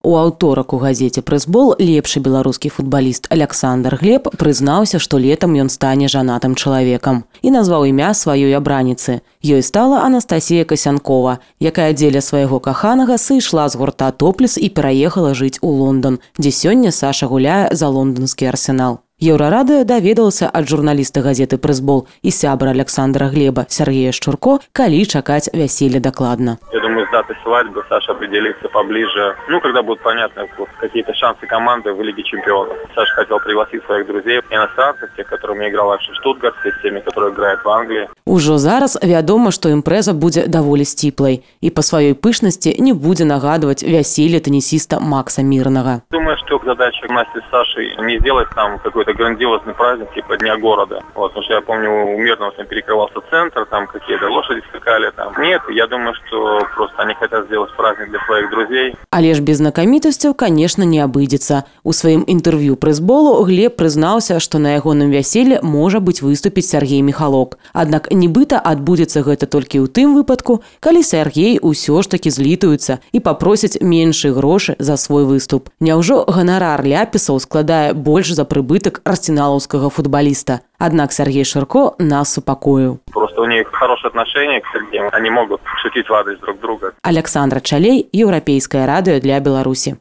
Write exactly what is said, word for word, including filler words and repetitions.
У аўторак у газеце «Прэсбол» лепшы беларускі футбаліст Александр Глеб прызнаўся, што летам ён стане жанатым чалавекам і назваў імя сваёй абраніцы. Ёй стала Анастасія Касянкова, якая дзеля свайго каханага сышла з гурта «Топлес» і пераехала жыць у Лондан, дзе сёння Саша гуляе за лонданскі «Арсенал». Еўрарадыё даведалася ад журналіста газеты «Прэсбол» і сябра Александра Глеба Сергея Шчурко, калі чакаць вяселля дакладна. Я думаю, с датой свадьбы Саша определится поближе. Ну, когда будут понятны какие-то шансы команды в Лиге чемпионов. Саша хотел пригласить своих друзей, иностранцев, тех, которыми играл в Штутгарте, с теми, которые играют в Англии. Ужо зараз вядома, што імпрэза будзе даволі сціплай і па сваёй пышнасці не будзе нагадваць вяселле теннисиста Макса Мирнага. Думаю, что задача Насти с Сашей не сделать там какой-то грандиозный праздник типа Дня города. Вот, потому что я помню, у Мирного там перекрывался центр, там какие-то лошади скакали. Там. Нет, я думаю, что просто они хотят сделать праздник для своих друзей. Але ж без знакамітасцяў, конечно, не абыдзецца. У сваім інтэрв'ю «Прэсболу» Глеб прызнаўся, што на ягоным вяселле можа быць выступіць Сергей Михалок. Аднак нібыта адбудзецца гэта толькі ў тым выпадку, калі Сергей усё ж такі злітуецца і папросіць меншы грошы за свой выступ. Няўжо ганарар ляпісаў складае больш за прыбытак арсеналаўскага футбаліста? Аднак Сергей Шчурко нас супакоіў. Просто у них хорошие отношения к Сергею, они могут шутить в адрес друг друга. Александра Чалей, Еўрапейскае радыё для Беларусі.